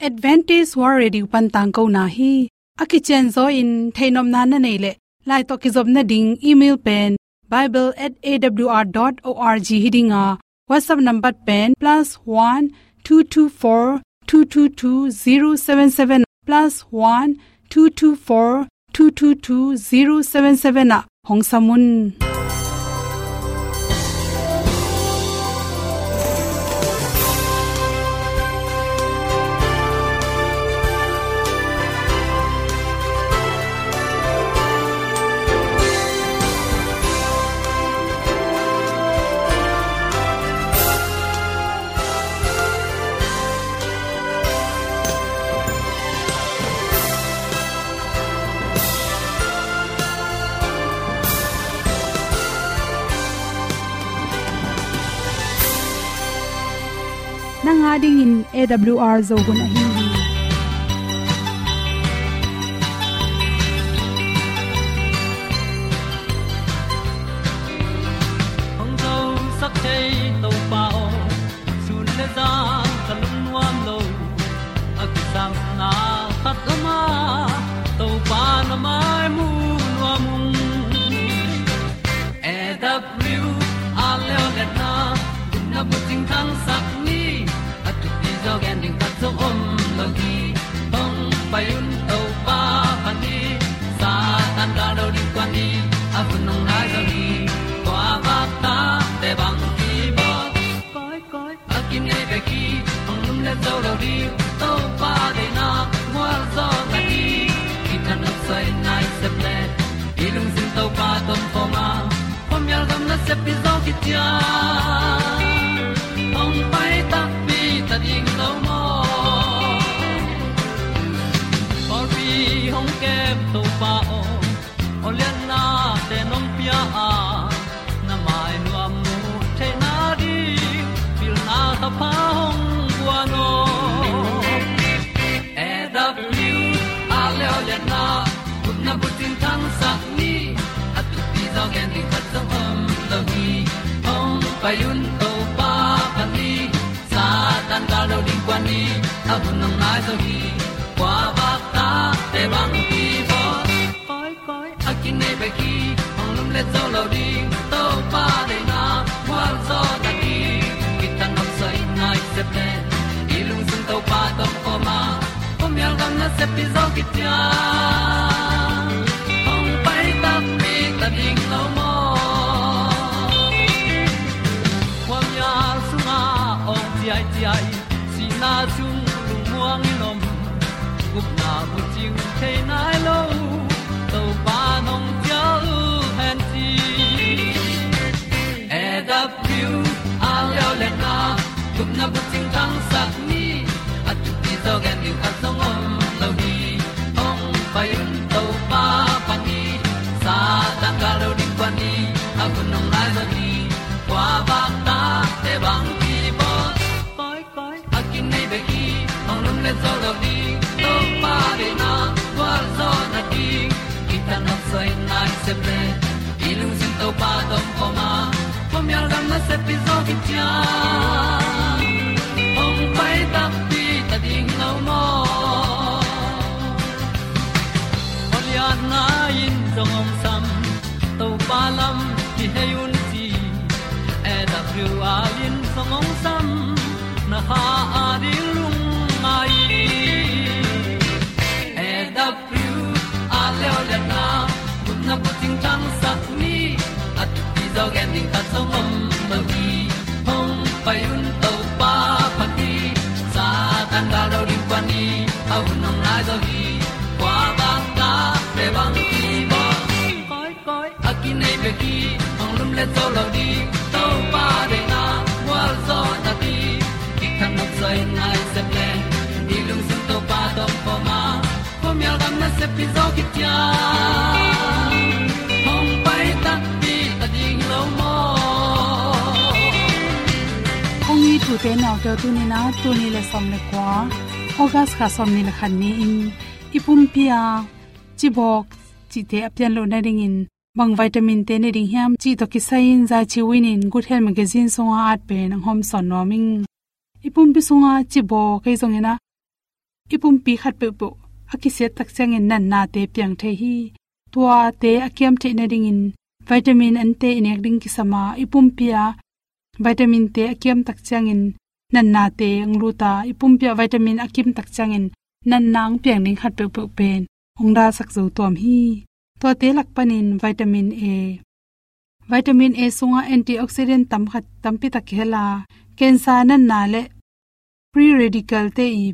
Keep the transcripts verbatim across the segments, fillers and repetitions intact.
Adventist World Radio pan tangkona hi. A kicianzaw in theihnopna na neih leh, lai tawh kizopna ding email pen bible at A W R dot org hi ding a, WhatsApp number pen plus one two two four two two two zero seven seven, plus one two two four two two two zero seven seven ah hong sam un. Nang a dingin A W R Zo hun ahi hi. Hong zosak thei Topa aw, sun le zan ka lungnuam lo. A kisapna khat lam ah Topa na mai mu nuam ung. A W R Leolehna, gupna bucing thangsak ni, a thupi zaw gen ding khat zong om lo hi. Hong pai un Topa pha ni, Satan gal do ding kuan ni, a hun hong nai zaw hi. Kua vak tate bang kibawl, koi koi a kinei bek hi. Hong lumlet zo lo ding, Topa deihna gualzawhna ding, kithanuam sawina i sep leh, i lungsim Topa tawh om khawm a, khuamial gam nasep hi zaw khit ciang, hong pai takpi ta ding lo maw? Pawlpi hong kem Topa aw, awlianna te nong pia a, na mai nuam mu theihna ding, pilna thapha hong guan aw. A W R Leolehna, gupna bucing thangsak ni, a thupi zaw gen ding khat zong om lo hi. Hong pai un Topa pha ni, Satan gal do ding kuan ni, a hun hong nai zaw hi. Kua vak tate bang kibawl, koi koi a kinei bek hi. Hong lumlet zo lo ding, Topa deihna gualzawhna ding, kithanuam sawina i sep leh, i lungsim Topa tawh om khawm a, khuamial gam nasep hi zaw khit ciang, hong pai takpi ta ding lo maw? Khuamial sungah awng ciaiciai, sihna sung lungmuang in om, gupna bucing thei nai lo, Topa nong cial hen ci. A W R Leolehna, gupna bucing thangsak ni, a thupi zaw gen ding khat zong om lo hi. Hong pai un Topa pha ni, Satan gal do ding kuan ni, a hun hong nai zaw hi. Kua vak tate bang kibawl, koi koi a kinei bek hi. Hong lumlet zo lo ding, Topa deihna gualzawhna ding, kithanuam sawina i sep leh, i lungsim Topa tawh om khawm a, khuamial gam nasep hi zaw khit ciang, hong pai takpi ta ding lo maw? Awlianna in zong hong sam, Topa lam kihei un ci. A W R in zong hong sam, na kha a ding lungngai. A W R Leolehna, gupna bucing thangsak ni, a thupi zaw gen ding khat zong om lo hi. Hong pai un Topa pha ni, Satan gal do ding kuan ni, a hun hong nai zaw hi. Kua vak tate bang kibawl, koi koi a kinei bek hi. Hong lumlet zo lo ding, Topa deihna gualzawhna ding, kithanuam sawina i sep leh, i lungsim Topa tawh om khawm a, khuamial gam nasep hi zaw khit ciang, hong pai takpi ta ding lo maw? Kong it ute naute aw, tuni-in ah tul nih le sawm le kua, August kha sawmnih le khat ni-in i pumpi ah cibawk cihte a pian loh nadingin bang vitamin te ne ding hiam cih tawh kisai-in Zai Chi Win in Good Health Magazine sungah a at pen hong hawmsawn nuam ing. I pumpi sungah cibawk ahi zongin ah i pumpi khat peuhpeuh a kisiat tak ciangin natnate piang thei hi. Tuate a kiam theih nadingin vitamin ante i nek ding kisam a, i pumpi ah vitamin-te a kiam tak ciangin natnate hong lut a, i pumpi ah vitamin a kim tak ciangin natna hong piang ding khat peuhpeuh pen hong dalsak zo tuam hi. Tuate lak panin vitamin A. Vitamin A sungah antioxidant tam khat tampi tak kihel a, cancer natna le free radical-te i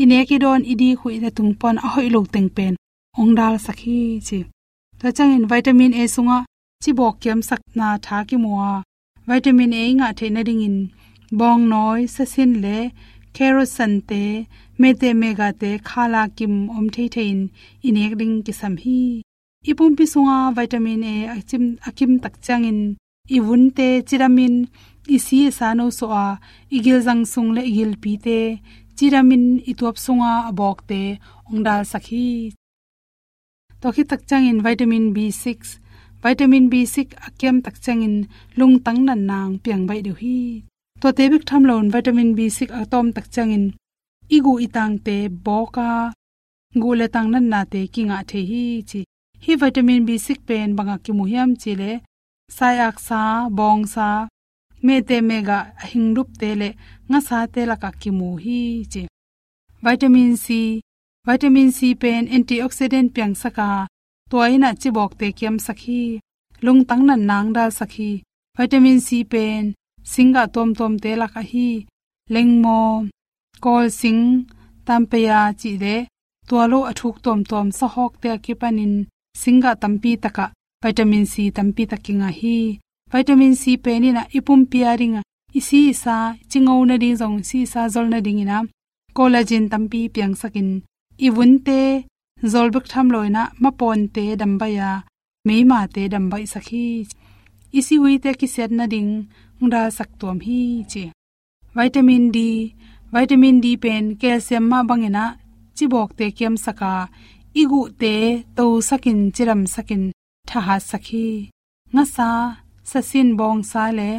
i nek i dawn i dik uh i na tung pan a hoih lo teng pen hong dalsak hi ci. Tua ciangin vitamin A sungah cibawk kiamsakna tha kimu a, vitamin A i ngah theih nadingin bawngnawi, sasin le carrot sante, mete megate khala kim om theithei in i nek ding kisam hi. I pumpi sunga vitamin A a kim, a kim tak ciangin i vunte cidamin i si i sa no suah a, i gilzang sung le i gilpite cidamin i tuap sunga a bawkte hong dalsak hi. Tua khit tak ciangin vitamin B six, vitamin B six a kiam tak ciangin lungtang natna hong piang baih deuh hi. Tuate bek tham loin vitamin B six a tawm tak ciangin i guh i tangte bawk a, guh le tang natnate kingah thei hi ci. Hih vitamin B six pen bangah kimu hiam cih leh, sai-aksa, bawngsa, mete megah a hing lupte le ngasate lakah kimu hi ci. Vitamin C, vitamin C pen antioxidant piangsak a, tua in ah cibawkte kiamsak hi. Lungtang natna hong dalsak hi. Vitamin C pen singgah tuamtuamte lak ahi lengmaw, kawlsing, tampeia cih le tua lo a thuk tuamtuam sahawkte a kipanin singgah tampi takah vitamin C tampi tak kingah hi. Vitamin C pen in ah i pumpi a dingah i si i sa cingo nading zong, si i sa zol nadingin ah collagen tampi piangsakin i vunte zol bek tham loin ah mapawnte dambaih a, meimate dambaihsak hi. I sihuite kisiat nading hong dalsak tuam hi ci. Vitamin D, vitamin D pen calcium mah bangin ah cibawkte kiamsak a, i guhte tosakin cidamsakin thahatsak hi. Ngasa, sasin, bawngsa le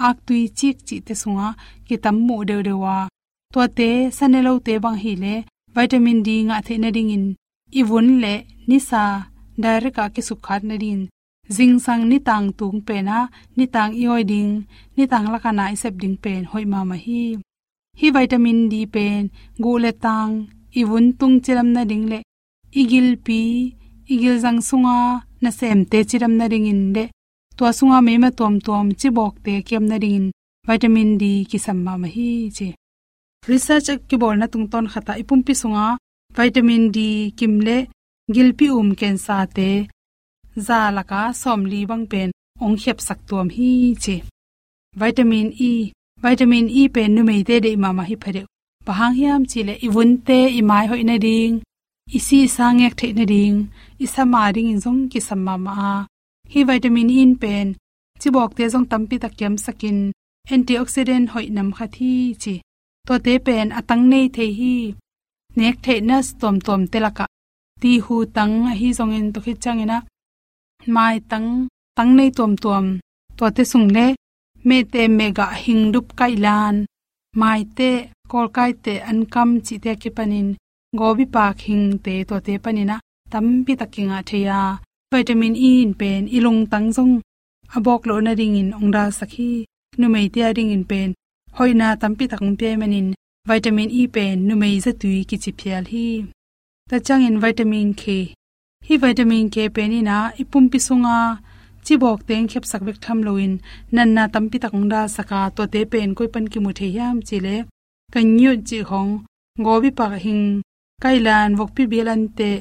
aktui cik cihte sungah kitam muh deuhdeuh a, tuate sa ne lote bang ahih leh vitamin D ngah theih nadingin i vun le nisa direct ah kisukkhat nadingin zingsang nitang tung pen ah nitang i awi ding, nitang lakah na i sep ding pen hoih mahmah hi. Hih vitamin D pen guh le tang, i vun tung cidam nading le i gilpi, i gilzang sunga nasemte cidam nadingin le tua sunga meima tuamtuam cibawkte kiam nadingin vitamin D kisam mahmah hi ci. Research a kibawlna tungtawn khatah i pumpi sunga vitamin D kim le gilpi um cancer-te za lakah sawmli bang pen hong khiapsak tuam hi ci. Vitamin E, vitamin E pen numeite deih mahmah hi phadeuh. Bang hang hiam cih leh i vunte i mai hoih nading, i si i sa ngek theih nading, i sama dingin zong kisam mahmah a, hih vitamin E in pen cibawkte zong tampi tak kiamsakin antioxidant hoih nam khat hi ci. Tuate pen a tang nei thei hi. Nek theihna tuamtuamte lakah tihu tang ahi zongin tua khit ciangin ah maitang, tang nei tuamtuam, tuate sung le mete megah hing dup kaihlan, maite, kawlkaite, ankam cihte a kipanin gawbipak hingte tuate panin ah tampi tak kingah thei a, vitamin E in pen i lungtang zong a bawk loh nadingin hong dalsak hi. Numeite a dingin pen hoihna tampi tak hong pia ahih manin vitamin E pen numei zatui kici phial hi. Tua ciangin vitamin K. Hih vitamin K pen in ah i pumpi sunga cibawkte hong khiapsak bek tham loin natna tampi tak hong dalsak a, tuate pen koi pan kimu thei hiam cih leh, kangyut cih khong, gawbipak hing, kaihlan, vokpi bial anteh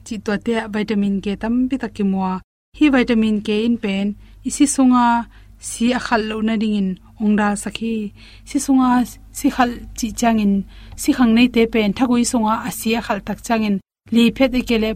cih tuate ah vitamin K tampi tak kimu a, hih vitamin K in pen i si sunga si a khalh loh nadingin hong dalsak hi. Si sunga si khalh cih ciangin si khang neite pen thagui sunga a si a khalh tak ciangin liphiat i kei leh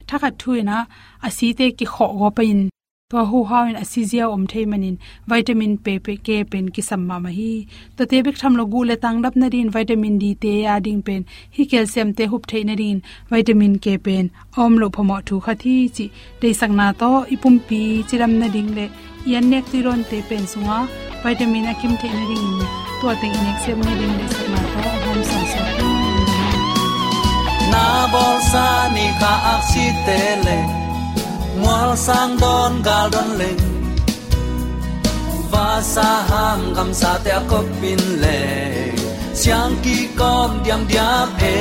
thakhat thu in ah a site kikhawh gawp in tua huhau in a si ziau om thei manin vitamin P, P, K pen kisam mahmah hi. Tuate bek tham lo guh le tang dap nadingin vitamin D te a ding pen hih calcium te hup theih nadingin vitamin K pen a om loh phamawh thu khat hi cih deihsakna tawh i pumpi cidam nading le i an nek tuidawnte pen sunga vitamin a kim theih nadingin tua teng i nek siam nading deihsakna tawh a hawm sawnsawk hi. Sa ni kha aksite le mual sang don gal don leng, vasa ham gamsate a kop in le siang kikom diamdiam e.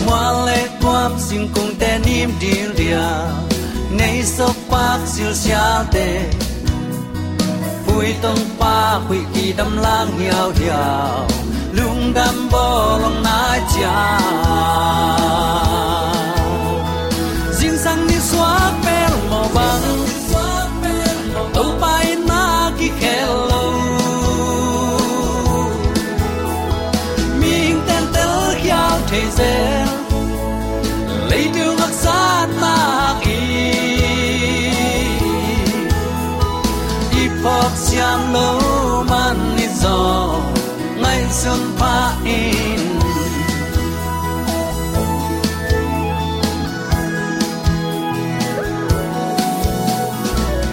Mual le kuam singkungte nim dil dia, nei sok pak silsiate, pui tong pak huih kidam lang hiauhiau, lungdam bawlong nai cia. Zingsang ni suak pel mawh bang, Topa in na kikhel lo. Mihing tentel khial thei zel, leitung haksa na hak i, i phawk siam lo man i zaw ngaihsun pha in.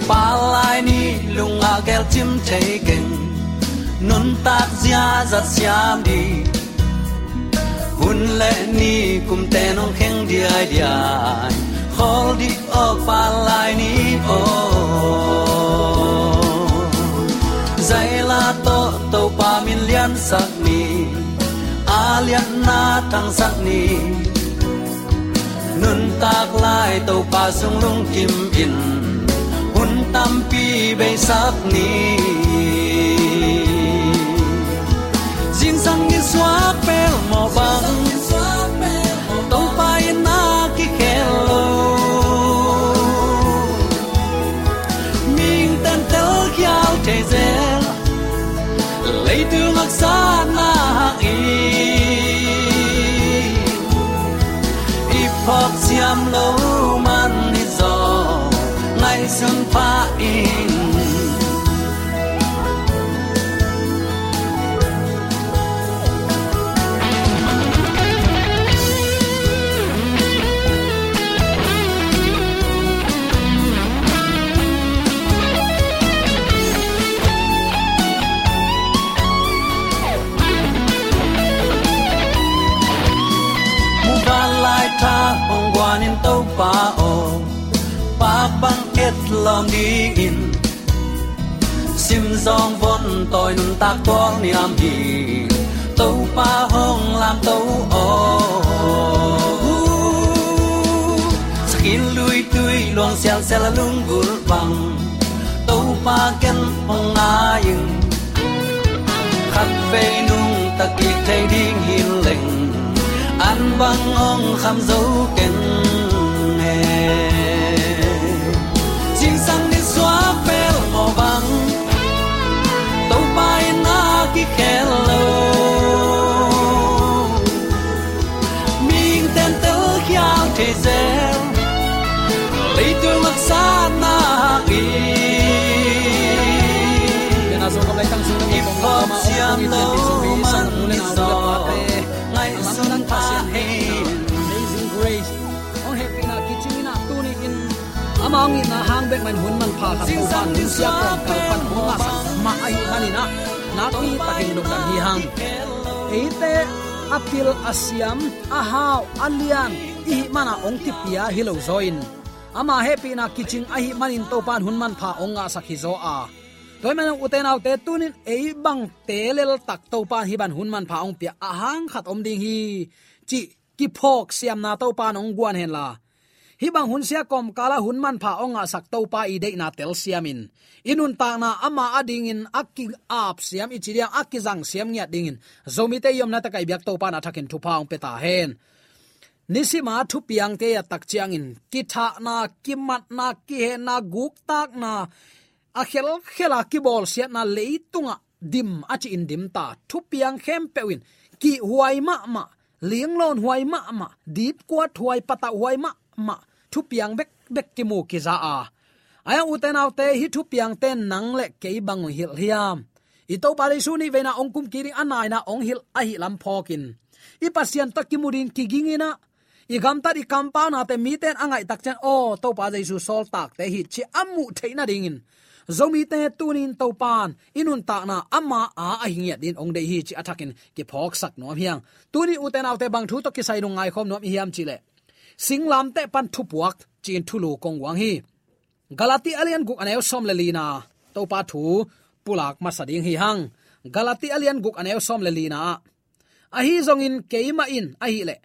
Palai ni lungah gelcim thei keng, nuntak ziazat siam dih. Hun le ni kumte nong kheng diaidiai, khawl dih aw palai ni aw. Zaila tawh Topa min liansak ni, a lianna thangsak ni. Nuntak lai Topa sung lungkim in, hun tampi beisak ni. Zingsang ni suak pel mawh bang, Topa in na kikhel lo. Mihing tentel khial thei zel, leitung haksa na hak i, i phawk siam lo man i zaw ngaihsun pha in. Muvanlai tha hong guan in Topa aw, pak bang et lawm dingin, simzawng von tawi nuntak tual niam hi, Topa hong lamto aw. Sakin luitui luang sialsial a lunggulh bang, Topa ken hong ngai in. Khatvei nungta kik thei ding hi leng, an bang hong kham zo keng e. Zingsang ni suak pel mawh bang, Topa in na kikhel lo. Mihing tentel khial thei zel, leitung haksa na hak i, i phawk siam lo man i zaw ngaihsun pha in. Amazing Grace hong hehpihna kicing in ah tuni in ama hong itna hang bek mah in hun manpha khat Topa in hun siakawm kal pan hong ngahsak mah ahih manin ah nakpi takin lungdam hi hang. Eite a pil a siam, a hau a lian i hih man ah hong kipia hi lo zaw in, ama hehpihna kicing ahih manin Topa in hun manpha hong ngahsak hi zaw a. Tua ahih manin ute naute, tuni in ei bangte leltak Topa in hih bang hun manpha hong pia a hang khat om ding hi cih kiphawk siamna Topa in hong guan hen la, hih bang hun siakawm kal ah hun manpha hong ngahsak Topa i deihna telsiam in, i nuntakna ama adingin a ki-ap siam i ci diam, a kizang siam ngiat dingin Zomite i omna tak ah i biak Topa in a thakin thupha hong pia ta hen. Nisim a thupiangte i et tak ciangin kithahna, kimatna, kihenna, guktakna, a khelkhel a kibawlsiatna, leitungah dim a ci in dim ta, thupiang khempeuh in kihhuai mahmah, linglawn huai mahmah, dipkuat huai, patauh huai mahmah thupiang bekbek kimu kiza a. Ahi hang ute naute, hih thupiangte in nang le kei bang hong hilh hiam? I Topa Jesu nih veina hong kum kik ding a naina hong hilh ahih lam phawkin, i Pasian tawh kimu ding kiging in ah, i gamtat i kampaunate mite in a ngaih tak ciang, aw, Topa Jesu sawltakte hi ci a muh theih nadingin Zomite tunin Topan i nuntakna ama a ahi ngiat dingin hong deih hi cih a thakin kiphawksak nuam hi hang. Tunin ute naute, bang thu tawh kisai lungngai khawm nuam i hiam cih leh, singlamteh pan thupuak ci-in thulu kong guang hi. Galati a lian guk a neu sawm le lina Topa thu pulak masa ding hi hang. Galati a lian guk a neu sawm le lina ah, ahi zongin keimah in ahih leh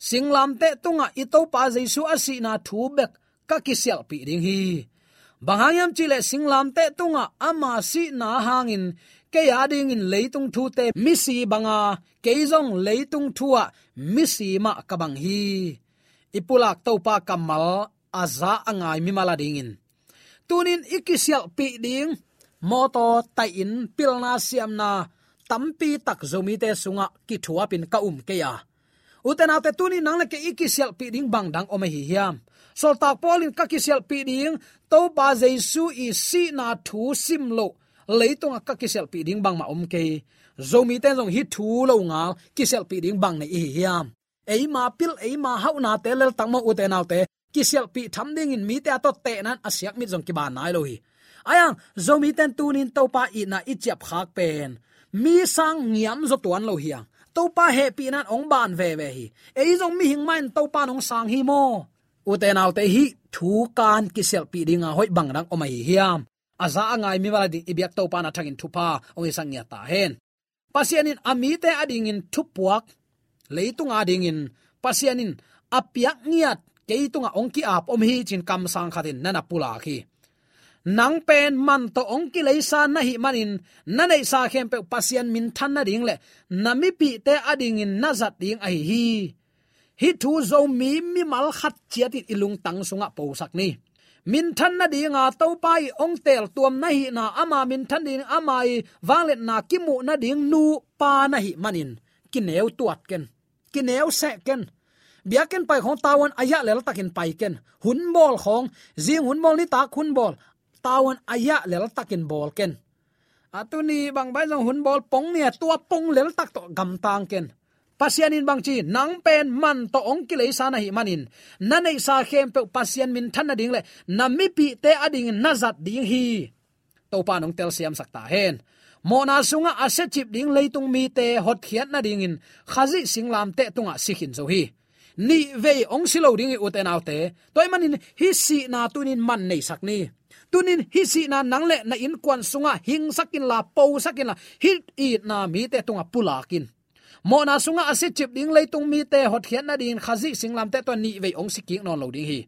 singlamteh tungah i Topa Jesu a sihna thu bek ka kisialhpih ding hi. Bang hang hiam cih leh singlamteh tungah ama sihna hangin kei adingin leitung thute misi banga, kei zong leitung thu ah misi mah ka bang hi. I pulak Topa kammal a za a ngai mimal adingin tunin i kisialhpih ding mawtaw taihin pilna siamna tampi tak Zomite sungah kithuapin ka um kei a. Ute naute, tunin nang le kei i kisialhpih ding bang dang om ahi hiam? Sawltak Paul in ka kisialhpih ding Topa Jesu i sihna thu sim loh leitungah ka kisialhpih ding bangmah om kei. Zomite zong hih thu lo ngal kisialhpih ding bang nei i hi hiam? Eima pil, eima hauhnate leltak maw ute naute, kisialhpih tham dingin mite a tawh tehna in a siak mit zong kiban nai lo hi. Ahi hang Zomite in tunin Topa itna i ciapkhak pen mi sang ngiam zaw tuan lo hi hang. Topa hehpihna in hong ban veve hi. Ei zong mihing mah in Topa in hong sang hi maw? Ute naute, hih thu kan kisialhpih dinga hoih bang dang om ahi hiam? A za a ngai mimal ading i biak Topa in a thakin thupha hong hisak ngiat ta hen. Pasian in a mite adingin thupuak, leitung adingin Pasian in a piak ngiat kei tungah hong ki-ap om hi ci-in kamsang khatin na na pulak hi. Nang pen man tawh hong kileisa na hih manin na neihsa khempeuh Pasian minthan nading le na mipihte adingin na zat ding ahi hi. Hih thu Zomi mimal khat ciatin i lungtang sungah posak ni. Minthan nadinga Topa i hong teeltuam na hihna, ama minthan ding, ama i vangliatna kimuh nading nu pa na hih manin kineu tuat ken, kineu seh ken. Biakinn pai khawng tavuan a yah leltakin pai ken. Hun bawl khawng, zing hun bawl, nitak hun bawl, tavuan a yah leltakin bawl ken. A tuni bang bai zong hun bawl pong ni a, tua pong leltak tawh gamtang ken. Pasian in bangci, nang pen man tawh hong kileisa na hih manin na neihsa khempeuh Pasian minthan nading le na mipihte adingin na zat ding hi. Topa in hong telsiamsak ta hen. Mawhna sungah a siacip ding leitung mite hotkhiat nadingin Khazih singlamteh tungah si khin zo hi. Nih vei hong si lo ding hi ute naute. Tua ahih manin hih sihna tunin man neisak ni. Tunin hih sihna nang le na innkuan sungah hingsak inla, posak inla, hih itna mite tungah pulak in. Mawhna sungah a siacip ding leitung mite hotkhiat nadingin Khazih singlamteh tungah nih vei hong si kik nawn lo ding hi.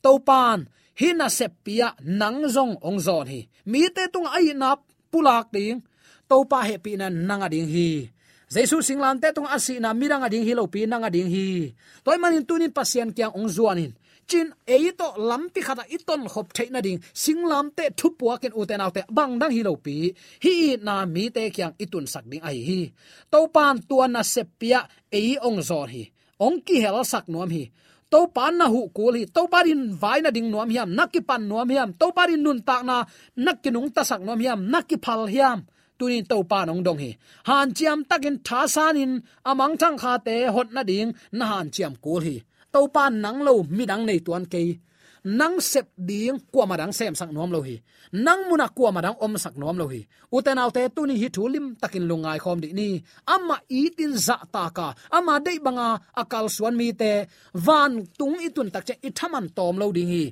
Topan hih naseppi-ah nang zong hong zawn hi. Mite tungah a itna pulak ding, Topa hehpihna nang a ding hi. Jesu singlamteh tungah a sihna midang a ding hi lopi, nang a ding hi. Tua ahih manin tunin Pasian kiang hong zuan in. Cin ei tawh lampi khatah i tonkhop theih nading singlamteh thupuakin ute naute bang dang hi lopi, hih itna mite kiang i tunsak ding ahi hi. Topan tua naseppi-ah ei hong zawn hi. Hong kihelsak nuam hi. Topa na huh kul hi. Topa din vai na ding nuam hiam, na kipan nuam hiam? Topa din nuntakna na kinungtasak nuam hiam, na kiphal hiam? Tunin Topa in hong dong hi. Hanciam takin thasanin a mangthang khate hot nading na hanciam kul hi. Topa in nang lo midang nei tuan kei. Nang sep ding kuamah dang semsak nuam lo hi. Nang munah kuamah dang omsak nuam lo hi. Ute naute, tuni hih thu limtakin lungngai khawm dih ni. Amah itin zahtaka, ama deih banga a kalsuan mite vantung i tun tak ciang i thaman tawm lo ding hi.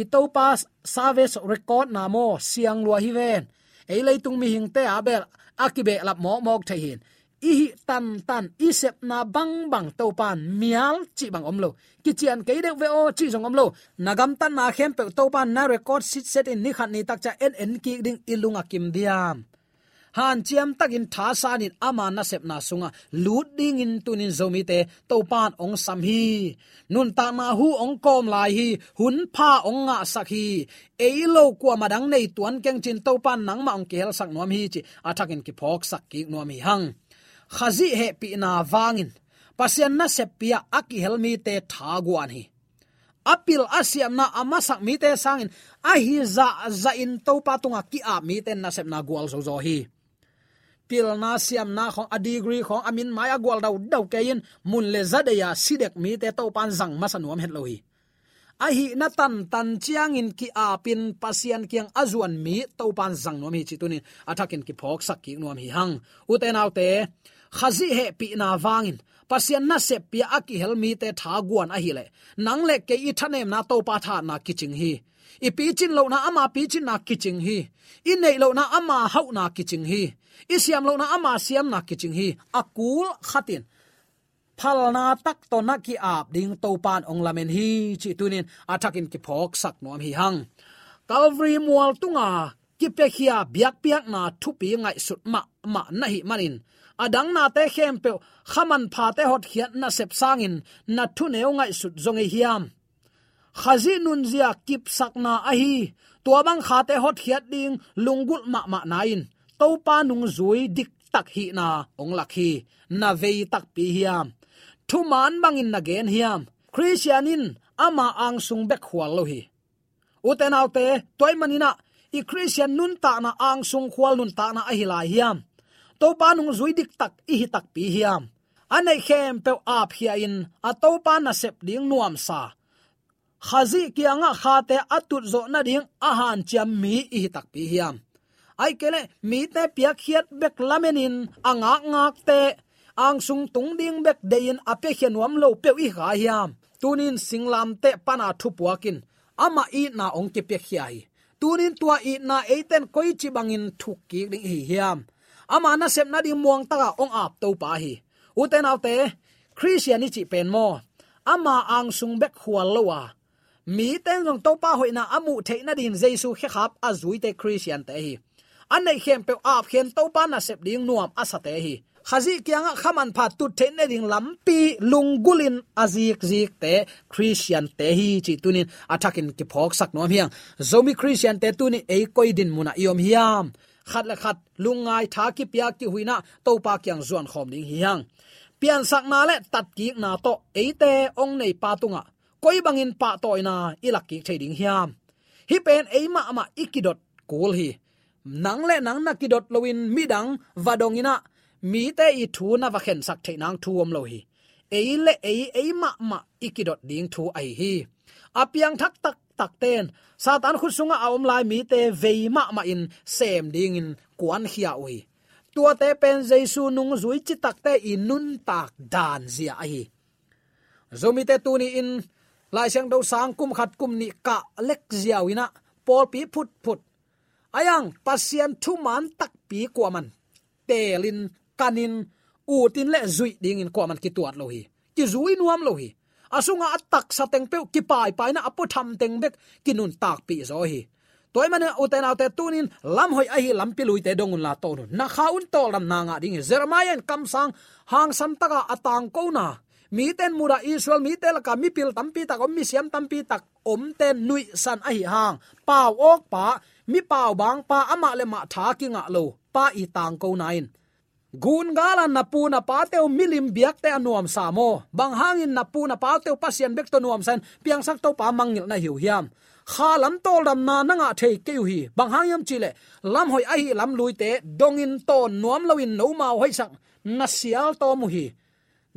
I Topa service record-na maw, siang lua hi ven. Ei leitung mihingte a bel a kibehlap mawkmawk thei hi. I hih tantan, i sepna bangbang Topan mial cih bang om lo. Kician kei deuh ve aw cih zong om lo. Na gamtatna khempeuh Topan na record sitset in ni khat ni tak ciang en en kik ding i lung a kim diam? Hanciam takin thasanin ama nasepna sungah lut dingin tunin Zomite Topan hong sam hi. Nuntakna hu hong kawm lai hi. Hun pha hong ngahsak hi. Ei lo kuamah dang nei tuan keng cin Topan nangmah hong kihelsak nuam hi cih a thakin kiphawksak kik nuam hi hang. Khazih hehpihna vangin Pasian naseppi-ah a kihel mite thaguan hi. A pil a siamna a masak mite sangin a hi zahzahin Topa tungah ki-ap mite nasepna gualzo zaw hi. Pilna siamna khawng, a degree khawng, a min mai a gual daudau kei in mun le za dei-a si dek mite Topan zang masa nuam het lo hi. ahihna tantan ciangin ki-apin Pasian kiang a zuan mi Topan zang nuam hi cih tunin a thakin kiphawksak kik nuam hi hang. Ute naute, Khazih hehpihna vangin Pasian nasep pia a kihel mite thaguan ahileh, nang le kei i thanemna Topa thahatna kicing hi. I picin lohna ama picinna kicing hi. I neih lohna ama hauhna kicing hi. I siam lohna ama siamna kicing hi. A kul khatin phalna tak tawh na ki-ap ding Topan ong lamen hi cih tunin a thakin kiphawksak nuam hi hang. Calvary mual tunga kipiakhia biakpiakna thupi ngaihsut mahmah na hih manin, a dang nate khempeuh kha manphate hotkhiat nasep sangin na thuneu ngaihsut zong ei hiam? Khazih nunzia kipsakna ahi, tua bang khate hotkhiat ding lunggulh mahmahna in Topa nungzui diktak hihna ong lak hi. Na vei takpi hiam? Thuman bangin na gen hiam? Khristian in ama angsung bek khual lo hi. Ute naute, tua ahih manin ah i Khristian nuntakna angsung khual nuntakna ahi lai hiam? Topa nungzui diktak i hi takpi hiam? A neih khempeuh apkhia in a Topa nasep ding nuamsa, Khazih kiangah khate a tutzawh nading a hanciam mi i hi takpi hiam? Ahih kei leh mite piakkhiat bek lamenin a ngakngakte angsung tung ding bek deihin a piakhia nuam lo peuh i hi kha hiam? Tunin singlamteh pana thupuakin ama itna ong kipiakhia hi. Tunin tua itna eiten koici bangin thuk kik ding i hi hiam? Ama nasep nading muangtaka ong ap Topa hi. Ute naute, Khristian i cih pen maw, ama angsung bek khual lo a, mite in zong Topa hoihna a muh theih nadingin Jesu khekhap a zuite Khristiante hi. A neih khempeuh apkhian Topa nasep ding nuam a sate hi. Khazih kiangah kha manpha tut theih nading lampi lunggulhin a zikzikte Khristiante hi cih tunin a thakin kiphawksak nuam hi hang. Zomi Khristiante tunin ei koi din munah i om hiam? Khat le khat lungngai tha kipia kihuina Topa kiang zuan khawm ding hi hang. Piansakna le tatkikna tawh eite ong neipa tungah koi bangin pahtawina i lak kik thei ding hiam? Hih pen ei mahmah i kidot kul hi. Nang le nang na kidot loin midang va dongin ah mite i thu na va khensak theih nang thu om lo hi. Ei le ei, ei mahmah i kidot ding thu ahi hi. A piangthak taktakte in Satan khut sungah a om lai mite vei mahmahin sem dingin kuankhia uh hi. Tuate pen Jesu nungzui citakte i nuntak dan zia ahi. Zomite tuni-in Lai Siangtho sang kum khat kum nih kah lek ziau in ah pawlpi phutphut, a iang Pasian thuman takpi kuaman teelin, kanin, utin le zuih dingin kuaman kituat lo hi. Kizui nuam lo hi. A sungah a taksa teng peuh kipaipaina a puatham teng bek kinuntakpih zaw hi. Tua ahih manin ute naute, tunin lamhoih ahi lampi luite dong unla tawn un. Na kha un tawldamna ngah ding hi. Jeremiah in kamsang hangsan taka a tangkona, mite in mudah Israel mite laka mipil tampi tak om, misiam tampi tak omte nuihsan ahi hang, pau awkpa, mi pau bangpa, amah le mah tha kingah lo pa i tangkona in, gun gala na pu na pate uh milim biakte a nuamsa maw? Bang hangin na pu na pate uh Pasian bek tawh nuamsa in piangsak Topa mangngilh na hi uh hiam? Kha lam tawldamna na ngah thei kei uh hi. Bang hang hiam cihleh lamhoih ahi lamluite dongin tawn nuam loin nomau hoihsak na sial tawm uh hi.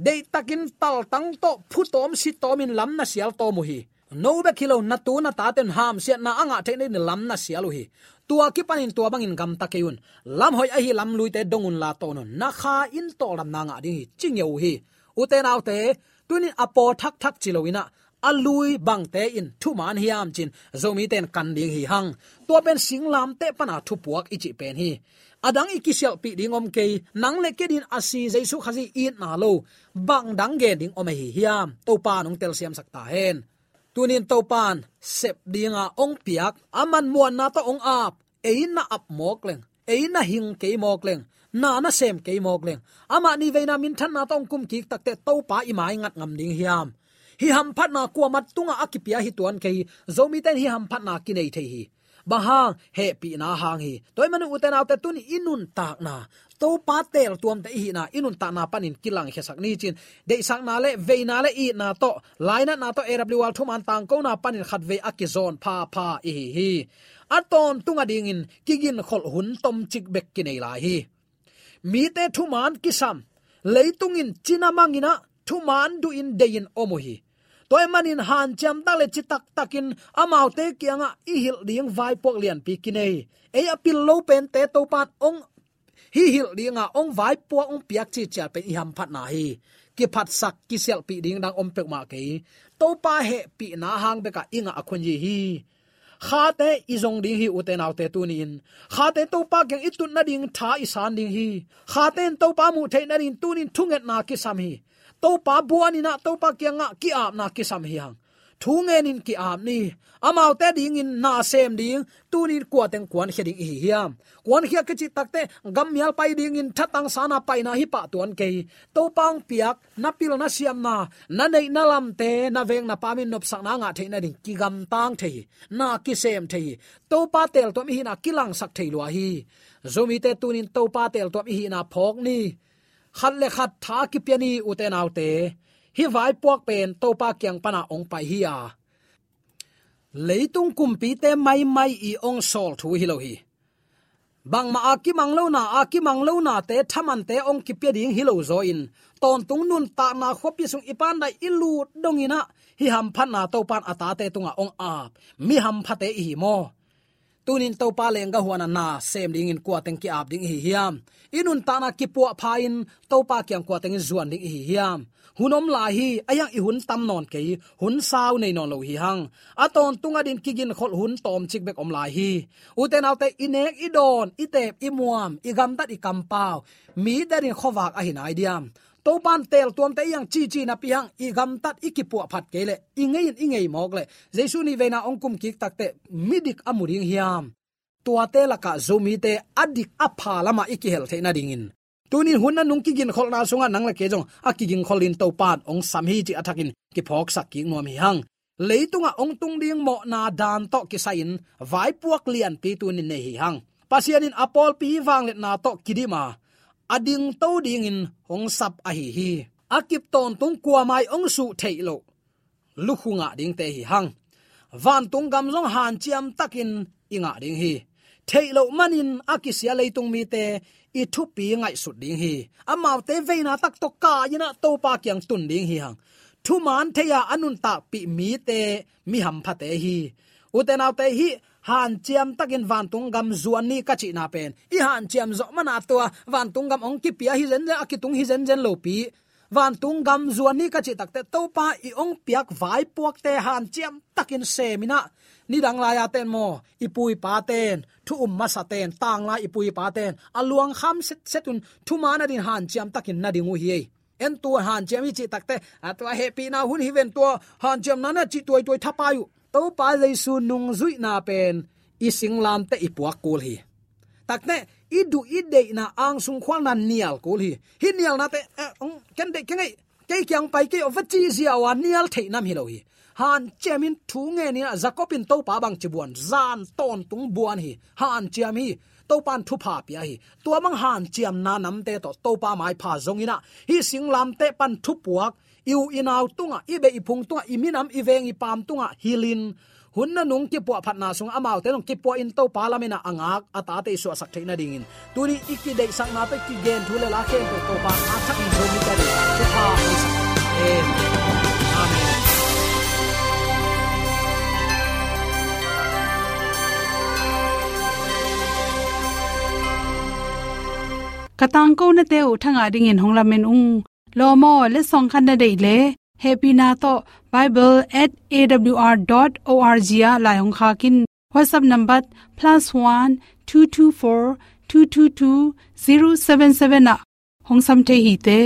Deihtakin taltang tawh phutawm sitawmin lam na sial tawm uh hi. No bek hi lo, na tu na tate un hamsiatna a ngah theih nadingin lam na sial uh hi. Tua kipanin tua bangin gamta kei un. Lamhoih ahi lamluite dong unla tawn un. Na kha in tawldamna ngah ding hi, ci ngeu uh hi. Ute naute, tunin a paw thakthak ci lo in ah, a lui bangte in thuman hiam ci-in Zomite in kan ding hi hang. Tua pen singlamteh pana thupuak i cih pen hi. A dang i kisialhpih ding om kei. Nang le kei dingin a si Jesu Khazih itna lo bang dang gen ding om ahi hiam? Topa in hong telsiamsak ta hen. Tunin Topa in sep dinga hong piak, aman muanna tawh hong ap, ei na ap mawk leng, ei na hing kei mawk leng, na na sem kei mawk leng, amah nih veina minthanna tawh hong kum kik takteh Topa i maingat ngam ding hiam? Hih hamphatna kuamah tungah a kipia hi tuan kei hi. Zomite in hih hamphatna kinei thei hi. Bang hang? Hehpihna hang hi. Tua ahih manin ute naute, tuni i nuntakna, Topa teeltuamte i hihna, i nuntakna panin kilangkhiasak ni ci-in, deihsakna le veina le itna tawh, lainatna tawh, A W R thuman tangkona panin khatvei a kizawn phapha i hi hi. A tawntung a dingin kiginkholh hun tomcik bek kinei lai hi. Mite thuman kisam, leitung in cina mang in ah thuman duhin dei-in om uh hi. Tua ahih manin hanciam tak le citak takin amaute kiangah i hilh ding vaipuak lianpi kinei. Ei a pil lo pente Topa'n hong hih hilh dinga hong vaipuak hong piak ciciat pen i hamphatna hi. Kiphatsak kisialhpih ding dang om peuhmah kei. Topa hehpihna hang bekah i ngah a khunzi hi. Khate i zong ding hi, ute naute, tuni-in. Khate Topa kiang i tut nading tha i san ding hi. Khate in Topa muh theih nading tuni-in thungetna kisam hi. Topa buaninah Topa kiangah ki-apna kisam hi hang. Thu ngenin ki-ap ni. Amaute dingin na sem ding tuni-in kuateng kuankhia ding i hi hiam? Kuankhia kicih takteh gammial pai dingin thatang sana paina hi pah tuan kei. Topa hong piak na pil na siamna, na neih na lamte, na veng na pam in nopsakna ngah theih nading kigamtang thei hi. Na kisem thei hi. Topa teeltuam i hihna kilangsak thei lua hi. Zomite, tuni-in Topa teeltuam i hihna phawk ni. Khat le khat tha kipia ni, ute naute. Hih vaipuak pen Topa kiang pana hong pai hi a, leitung kumpite maimai i hong sawl thu hi lo hi. Bangmah a kimang lona, a kimang lonate thamante hong kipia ding hi lo zaw in, tawntung nuntakna khuapi sung i pandai i lut donginah hih hamphatna Topa'n a tate tungah hong ap mi hamphate i hi maw? Tuni-in Topa lenggah huan a na sem dingin kuateng ki-ap ding i hi hiam? I nuntakna kipuahpha-in Topa kiang kuateng in zuan ding i hi hiam? Hun om lai hi. A hiang i hun tam nawn kei, hun sau nei nawn lo hi hang. A tawntung adin kiginkholh hun tawmcik bek om lai hi. Ute naute, i nek i dawn, i teep i muam, i gamtat i kampau, mi dadin khuavak ahi nai diam? Topa'n teeltuamte i hang cici napi hang i gamtat i kipuahphat kei leh, i ngei in i ngei mawk leh, Jesu nih veina hong kum kik takteh midik a mu ding hiam? Tuate lakah Zomite a dik a pha lamah i kihel theih nadingin, tuni-in hun a nung kiginkholhna sungah nang le kei zong a kiginkholhin Topa'n hong sam hi cih a thakin kiphawksak kik nuam hi hang. Leitungah hong tung ding mawhna dan tawh kisai-in vaipuak lianpi tuni-in nei hi hang. Pasian in a pawlpi vangliatna tawh kidim a, a dingto dingin hong sap ahi hi. A kip tawntung kuamah hong suh theih loh lukhu ngah dingte hi hang. Vantung gam zong hanciam takin i ngah ding hi. Theih loh manin a kisia leitung mite i thupi ngaihsut ding hi. Amaute veina tak tawh kai-inah Topa kiang tun ding hi hang. Thuman thei-a a nuntakpih mite mi hamphate hi. Ute naute, hih hanciam takin vantung gam zuan ni ka cihna pen i hanciam zawh mana tua vantung gam hong kipia hi zenzen, a kitung hi zenzen lopi. Vantung gam zuan ni ka cih takteh Topa i hong piak vaipuakte hanciam takin seminah, nidang lai-a ten maw, i pu i pa ten, thu um masa ten, tanglai i pu i pa ten a luangkham setset un thuman adin hanciam takin na ding uh hi ei. En, tua hanciam hi cih takteh, a tua hehpihna hun hi ven, tua hanciamna na cih tuaituai thapai uh. Topa Jesu nungzuihna pen i singlamteh i puak kul hi. Takteh i duh i deihna angsung khualna nial kul hi. Hih nialnate, eh, ong, ken deih kei ngei, kei kiang pai kei aw, va cih ziau a nial theih nam hi lo hi. Hanciam in thu ngenin ah, Jacob in Topa bangci buan, zan tawntung buan hi. Hanciam hi. Topa'n thupha pia hi. Tua bang hanciamna namte tawh Topa maipha zonginah, hih singlamteh pan thupuak, i u i nau tungah, i beh i phung tungah, i minam i veng i paam tungah hilhin, hun na nung kipuahphatna sungah amaute zong kipuahin Topa lamenah a ngak a tate i suahsak theih nadingin, tuni i kideihsakna tawh i kigen thu le la khempeuh Topa a thakin Zomite ading thupha pia sak. Amen. Amen. Ka tangkonate uh thangah dingin hong lamen ung. Lawm aw, letsong khat na deih leh, hehpihna tawh bible at A W R dot O R G ah lai hong khak in. WhatsApp number plus one two two four two two two zero seven seven ah hong sam thei hi te.